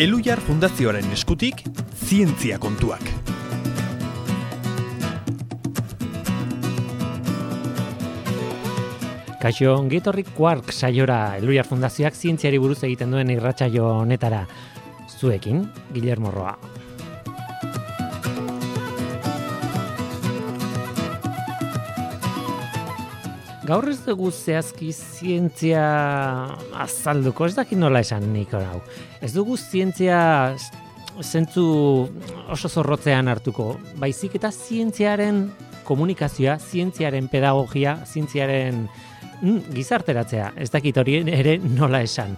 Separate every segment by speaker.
Speaker 1: Elhuyar Fundazioaren eskutik, zientzia kontuak.
Speaker 2: Kaixo, ongi Quark saiora Elhuyar Fundazioak zientziari buruz egiten duen irratsaio honetara. Zuekin, Guillermo Roa. Gaur ez dugu zehazki zientzia azalduko, ez dakit nola esan nik hau. Ez dugu zientzia zentzu oso zorrotzean hartuko, baizik eta zientziaren komunikazioa, zientziaren pedagogia, zientziaren gizarteratzea, ez dakit hori ere nola esan.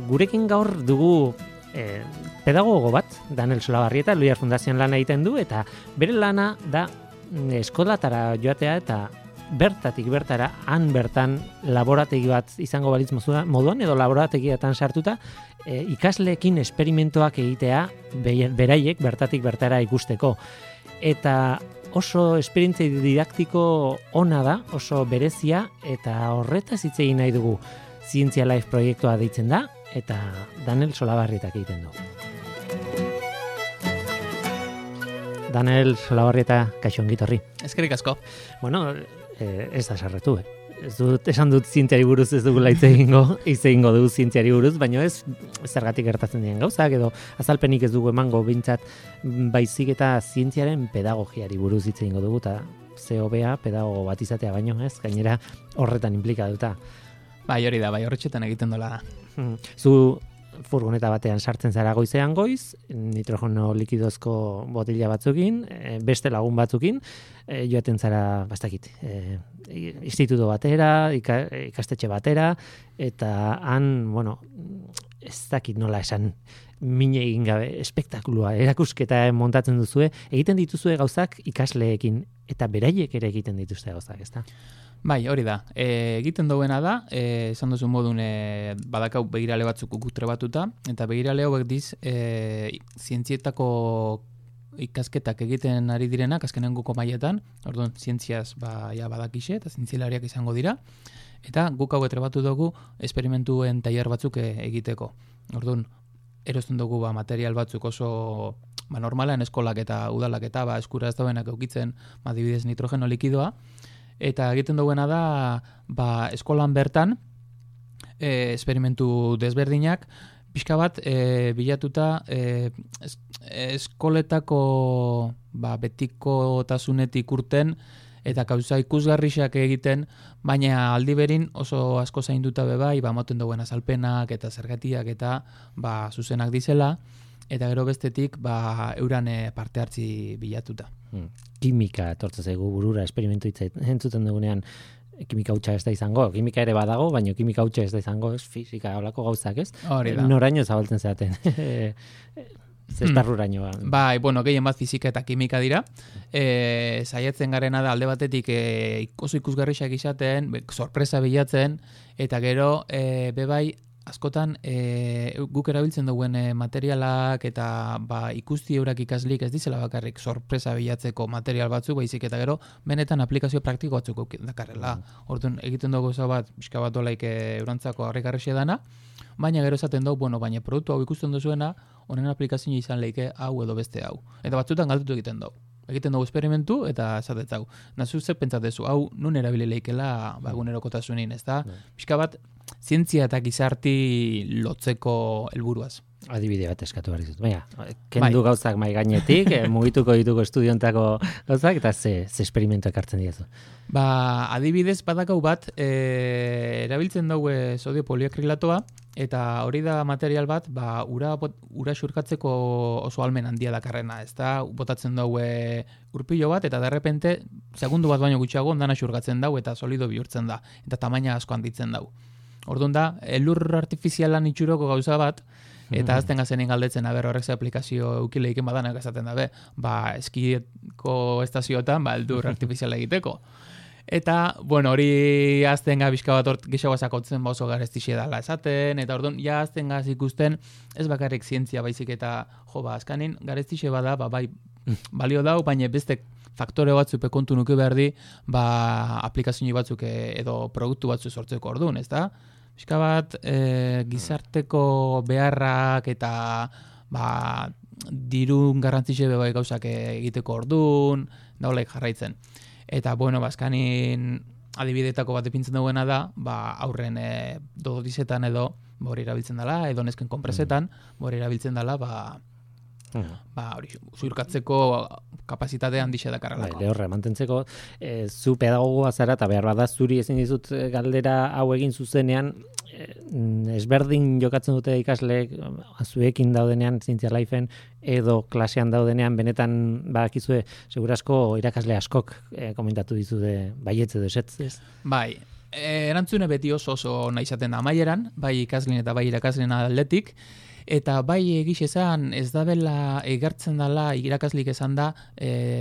Speaker 2: Gurekin gaur dugu pedagogo bat, Daniel Solabarrieta, Elhuyar Fundazioan lana egiten du, eta bere lana da eskolatara joatea eta bertatik bertara, han bertan laborategi bat izango balitz moduan, edo laborategiatan sartuta, ikasleekin esperimentoak egitea beraiek bertatik bertara ikusteko. Eta oso esperientzia didaktiko ona da, oso berezia, eta horretaz hitz egin nahi dugu. Zientzia Life proiektua deitzen da, eta Daniel Solabarrietak egiten du. Daniel Solabarrieta, kaixo ongi etorri.
Speaker 3: Eskerrik asko.
Speaker 2: Bueno, ez da sarretu, esan dut zientziari buruz ez dugula hitz egingo dugu zientziari buruz, baina ez zergatik gertatzen diren gauzak, edo azalpenik ez dugu emango bintzat, baizik eta zientziaren pedagogiari buruz hitz egingo dugu, eta ze hobea pedagogo bat izatea baino, ez? Gainera horretan implikatuta.
Speaker 3: Bai, hori da, bai, horretxetan egiten dola da.
Speaker 2: Zu furgoneta batean sartzen zara goizean goiz, nitrogeno likidozko botila batzukin, beste lagun batzukin, joaten zara, bastakit, instituto batera, ikastetxe batera, eta han, bueno, ez dakit nola esan, mine egin gabe, espektakulua, erakusketa montatzen duzue, egiten dituzue gauzak ikasleekin, eta beraiek ere egiten dituzte gauzak, ezta?
Speaker 3: Bai, hori da. Egiten duena da, esan duzu modun badakau begirale batzuk gutre batuta, eta begirale hauek diz, zientzietako ikasketak egiten ari direnak, azkenenguko mailetan, orduan, zientziaz badakixe, eta zientzialariak izango dira, eta guk hau trebatu dugu esperimentuen tailer batzuk egiteko. Orduan, erosten dugu material batzuk oso normalean eskolak eta udalak eta eskura ez dauenak eukitzen, adibidez nitrogeno likidoa, eta egiten duena da eskolan bertan esperimentu desberdinak pixka bat bilatuta eskoletako betikotasunetik urten eta gauza ikusgarrixak egiten, baina aldi berin oso asko zainduta bebai, moten duen azalpenak eta zergatiak eta zuzenak dizela, eta gero bestetik euran parte hartzi bilatuta.
Speaker 2: Kimika etortzen zaigu burura esperimentu entzuten dugunean, kimika hutsa ez da izango, kimika ere badago, baina kimika hutsa ez da izango, ez fizika holako gauzak, ez?
Speaker 3: Hori da.
Speaker 2: Noraino zabaltzen zaten. Zesparruraino.
Speaker 3: Bai, bueno, gehien bat fizika eta kimika dira. Saiatzen garena da alde batetik oso ikusgarrixak izaten, sorpresa bilatzen, eta gero bebai askotan guk erabiltzen duen materialak eta ikusti eurak ikaslik ez dizela bakarrik sorpresa bilatzeko material batzuk, baizik eta gero benetan aplikazio praktiko batzuk dakarrela. Orduan egiten dugu bat, pixka bat dolaik eurantzako harrikarrexe dana, baina gero esaten dugu, baina produktu hau ikusten duzuena, honen aplikazioa izan leike hau edo beste hau. Eta batzutan galdutu egiten dugu. Egiten dugu esperimentu eta esatetzau. Nazu zer pentsatezu, hau nun erabile leikela egunerokotasunin, ez da? Pixka bat, zientzia eta gizarti lotzeko helburuaz.
Speaker 2: Adibide bat eskatu behar dizut. Baina, kendu gauzak mai gainetik, mugituko dituko estudiontako gauzak, eta ze esperimentuak hartzen diezu.
Speaker 3: Adibidez badakau bat, erabiltzen dugu sodio poliakrilatoa, eta hori da material bat, ura xurkatzeko oso almen handia dakarrena, ez da, botatzen dugu urpilo bat, eta derrepente, segundu bat baino gutxiago, ondana xurkatzen dugu, eta solido bihurtzen da, eta tamaina asko handitzen dugu. Orduan da, elur artifizialan itxuroko gauza bat, eta azten gazenin galdetzen, horrek ze aplikazio eukileiken badanak esaten dabe, eskieko estazioetan, eldur artifiziala egiteko. Eta, hori azten bizka bat hort gexagoa sakotzen oso garestixe dala esaten, eta orduan, azten gaz ikusten, ez bakarrik zientzia baizik eta, azkanin, garestixe bada, balio dau, baina beste faktore batzuk kontu nuke behar di, aplikazio batzuk edo produktu batzuk sortzeko orduan, ez da? pixka bat gizarteko beharrak eta dirun garrantzitxe bai gauzak egiteko ordun, daulaik jarraitzen. Eta, bueno, azkanin adibidetako bat ipintzen duena da, aurren dodizetan edo hori erabiltzen dela, edo nesken konpresetan, hori erabiltzen dela, hori, zurkatzeko kapazitatea handixe dakarrelako.
Speaker 2: Lehorra, mantentzeko, zu pedagogoa zara, eta behar bada zuri ezin dizut galdera hau egin zuzenean, ezberdin jokatzen dute ikasleek, zuekin daudenean, zientzia laifen, edo klasean daudenean, benetan badakizue, segurasko irakasle askok komentatu dizute baietz edo esetz. Bai,
Speaker 3: erantzune beti oso nahi izaten da amaieran, bai ikasleen eta bai irakasleen aldetik, eta bai egiz esan ez dabela egartzen dela irakaslik esan da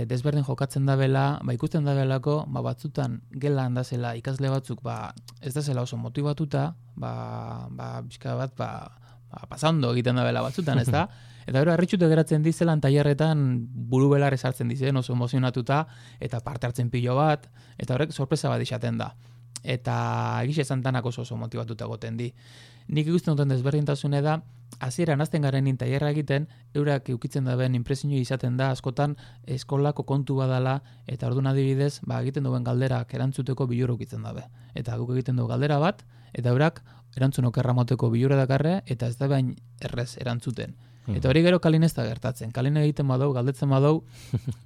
Speaker 3: desberdin jokatzen dabela, ikusten dabelako, batzutan gelan da zela ikasle batzuk ez da zela oso motibatuta, bizka bat pasando egiten dabela batzutan, ez da? Eta gero harritxute geratzen dizelan tailerretan buru belar esartzen dizen oso emozionatuta eta parte hartzen pilo bat, eta horrek sorpresa bat izaten da. Eta egiz esan tanak oso motibatuta goten di. Nik ikusten duten desberdintasune da, hasieran hasten garenin tailerra egiten, eurak eukitzen daben inpresinio izaten da, askotan eskolako kontu badala, eta orduan adibidez, egiten duen galderak erantzuteko bilur ukitzen dabe. Eta guk egiten dugu galdera bat, eta eurak erantzun okerra moteko bilura dakarre, eta ez da bain errez erantzuten. Eta hori gero kalin ez da gertatzen. Kalin egiten badau, galdetzen badau,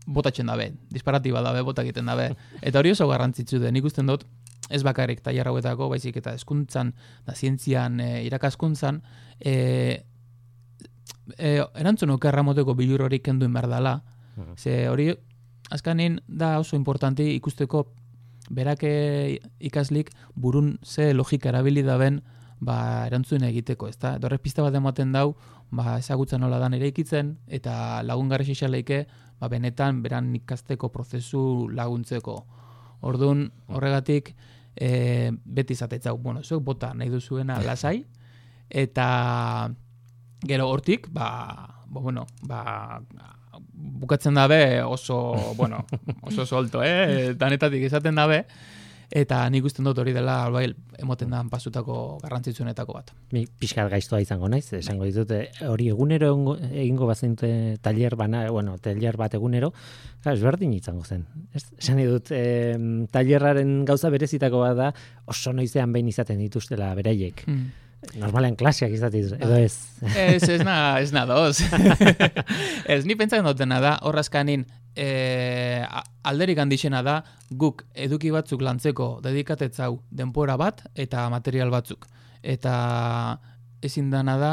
Speaker 3: botatzen dabe, disparatiba dabe, bota egiten dabe. Eta hori oso garrantzitsu den, ikusten dut, ez bakarrik tailer hauetako, baizik eta hezkuntzan, da zientzian, irakaskuntzan, erantzun okerra moteko bilur hori kenduen behar dela. Ze hori, azkanin da oso importanti ikusteko berak ikaslik burun ze logika erabili daben erantzun egiteko, ezta? Eta horrek pista bat ematen dau, ezagutzen nola dan eraikitzen, eta lagungarri xixaleike, benetan beran ikasteko prozesu laguntzeko. Orduan, horregatik, beti izatetzau, zuek bota nahi duzuena lasai, eta gero hortik, bukatzen dabe oso solto, danetatik izaten dabe, eta nik usten dut hori dela emoten da pasutako garrantzitsuenetako bat.
Speaker 2: Pixkat gaiztoa izango naiz, esango ditut, hori egunero egingo bazen tailer bat egunero, ezberdin izango zen. Esan dut, tailerraren gauza berezitako bat da, oso noizean behin izaten dituztela beraiek. Normalean klaseak izaten dituz, edo ez?
Speaker 3: Ez nadoz. Ez, ni pentsatzen dutena da, horrazkanin, alderik handixena da, guk eduki batzuk lantzeko dedikatetzau denpora bat eta material batzuk. Eta ezin dana da,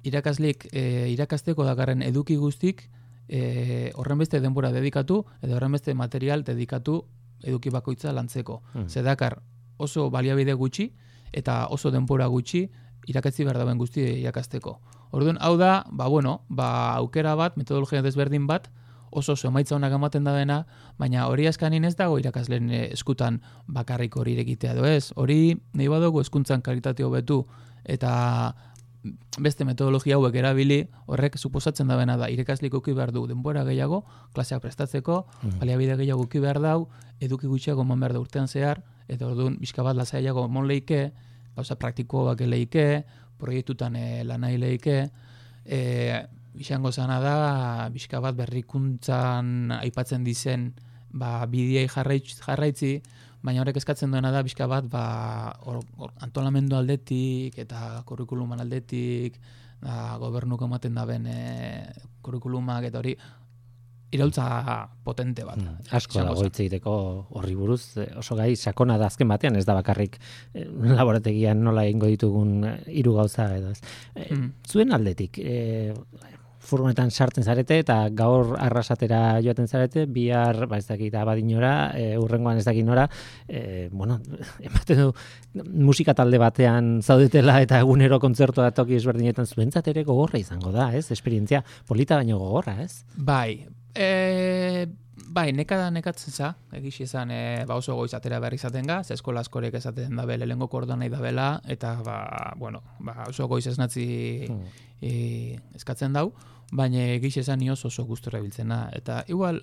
Speaker 3: irakaslik irakasteko dakarren eduki guztik horren beste denbora dedikatu edo horren beste material dedikatu eduki bakoitza lantzeko. Zedakar oso baliabide gutxi eta oso denbora gutxi irakatzi behar dauen guzti irakasteko. Orduan, hau da, aukera bat, metodologia desberdin bat, oso emaitza honak ematen da dena, baina hori askanin ez dago irakasleen eskutan bakarrik hori egitea edo ez. Hori nahi badugu hezkuntzan kalitate hobetu eta beste metodologia hauek erabili, horrek suposatzen da bena da, irakaslik uki behar du denbora gehiago, klaseak prestatzeko, baliabide gehiago uki behar dau, eduki gutxiago eman behar da urtean zehar, eta orduan bizka bat lasaiago emon leike, gauza praktikoak leike, proiektutan lanai leike, izango zana da, bizka bat berrikuntzan aipatzen dizen bideai jarraitzi, baina horrek eskatzen duena da, bizka bat antolamendu aldetik eta kurrikuluman aldetik, gobernuko ematen daben kurrikulumak eta hori, iraultza potente bat.
Speaker 2: Asko dago hitz egiteko horri buruz, oso gai sakona da azken batean, ez da bakarrik laborategian nola egingo ditugun 3 gauza edo ez. Zuen aldetik, furgonetan sartzen zarete eta gaur arrasatera joaten zarete, bihar ez dakit abadinora, urrengoan ez dakit nora, ematen du musika talde batean zaudetela eta egunero kontzertua toki ezberdinetan zuentzat ere gogorra izango da, ez? Esperientzia polita baino gogorra, ez?
Speaker 3: Bai, nekatzen za, egix izan oso goiz atera behar izaten ga, ze eskola askorek esaten dabe lehengo kordoa nahi dabela, eta oso goiz esnatzi eskatzen dau, baina egix izan nioz oso gustura biltzena. Eta igual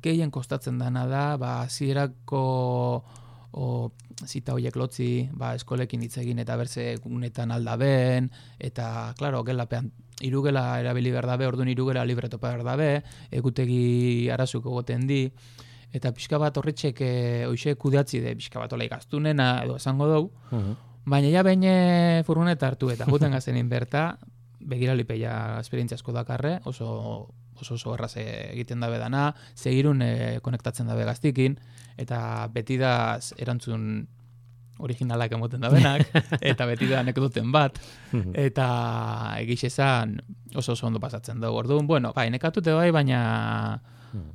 Speaker 3: gehien kostatzen dana da, hasierako zita horiek lotzi, eskolekin hitz egin eta berze gunetan aldaben, eta, klaro, gelapean irugela erabili behar dabe, orduan irugela libretopa behar dabe, egutegi arazuko goten di, eta pixka bat horretxek hoxe kudeatzi de, pixka bat olai gaztunena edo esango dugu, baina ja behin furgoneta hartu eta guten gazenin berta, begiralipeia esperientzia asko dakarre, oso erraz egiten dabe dana, segirun konektatzen dabe gaztikin, eta beti da erantzun originalak emoten dabenak, eta beti da anekdoten bat, eta egiz esan oso ondo pasatzen dugu. Orduan, bueno, nekatute baina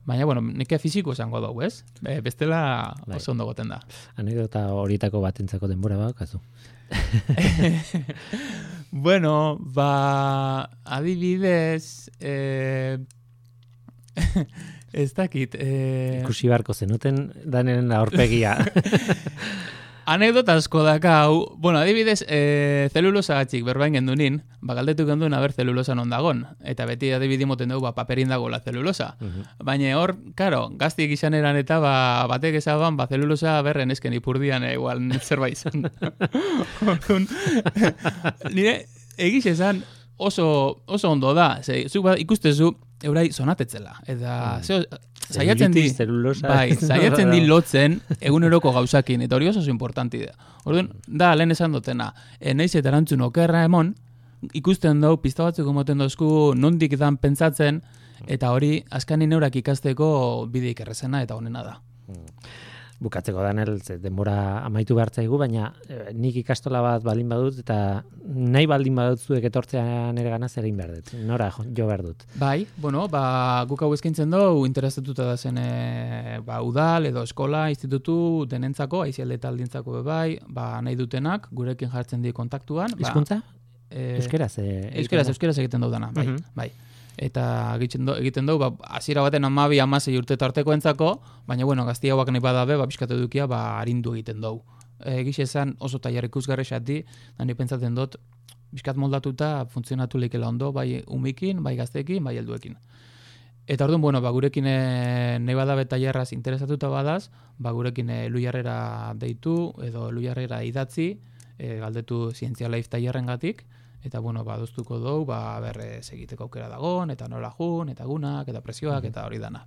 Speaker 3: bueno, neke fiziko esango dugu, ez? Bestela oso ondo goten da.
Speaker 2: Anekdota horietako batentzako denbora bakazu.
Speaker 3: Bueno, adibidez, ez dakit.
Speaker 2: Ikusi barko zenuten danen aurpegia.
Speaker 3: Anekdota asko dakau, bueno, adibidez, zelulosa gatxik berbain gendunin, galdetu genduen aber zelulosa non dagon, eta beti adibidi moten dugu paperin dago la zelulosa. Baina hor, karo, gaztik izan eran eta batek ezaban, zelulosa berren esken ipurdian igual zerbait izan. Nire, egiz esan oso ondo da, zuk ikustezu eurai sonatetzela, eta saiatzen di lotzen eguneroko gauzakin, eta hori oso importanti da. Orduan, da, lehen esan dutena, naiz eta erantzun okerra emon, ikusten dugu, pizta batzuk emoten dozku, nondik dan pentsatzen, eta hori, azkanin eurak ikasteko bideik errezena eta honena da.
Speaker 2: Bukatzeko Danel, denbora amaitu behartzaigu, baina nik ikastola bat baldin badut, eta nahi baldin badut zuek etortzea nire gana zer egin behar dut. Nora jo behar dut.
Speaker 3: Bai, bueno, guk hau eskaintzen dugu, interesatuta da zen udal edo eskola, institutu denentzako, aizialde taldintzako bai, nahi dutenak, gurekin jartzen di kontaktuan.
Speaker 2: Hizkuntza? Euskeraz?
Speaker 3: Euskeraz egiten dugu dana, bai. Eta egiten dugu, hasiera baten 12-16 urte tarteko entzako, baina, bueno, gazti hauak nahi badabe, pixkatu dukia, arindu egiten dugu. Egiz esan oso tailar ikusgarri xati, da ni pentsatzen dut, pixkat moldatuta funtzionatu leikela ondo, bai umikin, bai gaztekin, bai helduekin. Eta orduan, bueno, gurekin nahi badabe tailarraz interesatuta badaz, gurekin Luiarrera deitu, edo Luiarrera idatzi, galdetu Zientzia Life tailarren gatik, eta, bueno, doztuko dugu, segiteko aukera dagon, eta nola jun, eta gunak, eta presioak, eta hori dana.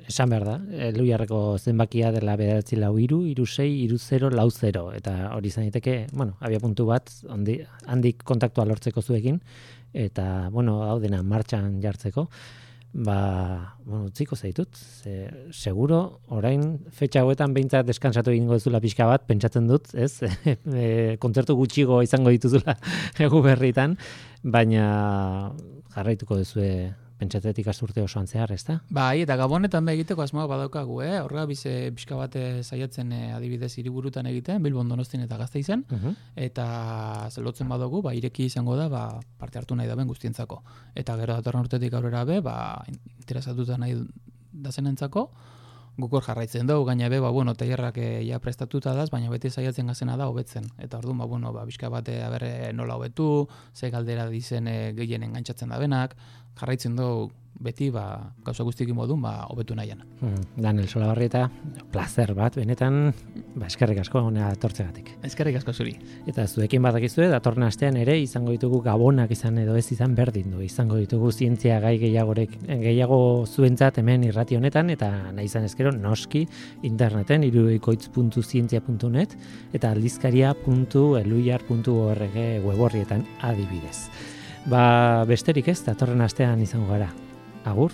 Speaker 2: Esan behar da, Luiarreko zenbakia dela 9-4-6-3-0-4, eta hori izan daiteke, bueno, abia puntu bat, handik kontaktua lortzeko zuekin, eta, bueno, hau dena martxan jartzeko, utziko zaitut, seguro, orain fetxa hauetan behintzat deskansatu egingo duzula pixka bat, pentsatzen dut, ez? Kontzertu gutxigo izango dituzula egu berritan, baina jarraituko duzue pentsatetik ikasturte osoan zehar, ez da?
Speaker 3: Bai, eta Gabonetan egiteko asmoa badaukagu, horrela pixka bat saiatzen adibidez hiriburutan egiten, Bilbon, Donostin eta Gasteizen, eta zelotzen badugu, ireki izango da, parte hartu nahi daben guztientzako. Eta gero datorren urtetik aurrera be, interesatuta nahi dazenentzako, gukor jarraitzen dugu, gaina be, tailerrak ja prestatuta daz, baina beti saiatzen gazena da hobetzen. Eta orduan, pixka bat nola hobetu, ze galdera dizen gehien engantzatzen da benak, jarraitzen dugu beti gauza guztikin modun hobetu nahian.
Speaker 2: Danel Solabarrieta, placer bat, benetan, eskerrik asko honea tortzegatik.
Speaker 3: Eskerrik asko zuri.
Speaker 2: Eta zuekin badakizue, datorren astean ere izango ditugu gabonak izan edo ez izan berdin du. Izango ditugu zientzia gai gehiago zuentzat hemen irrati honetan, eta nahi izan ezkero noski interneten irudikoitz.zientzia.net eta aldizkaria.eluiar.org weborrietan adibidez. Besterik ez, datorren astean izango gara. Agur!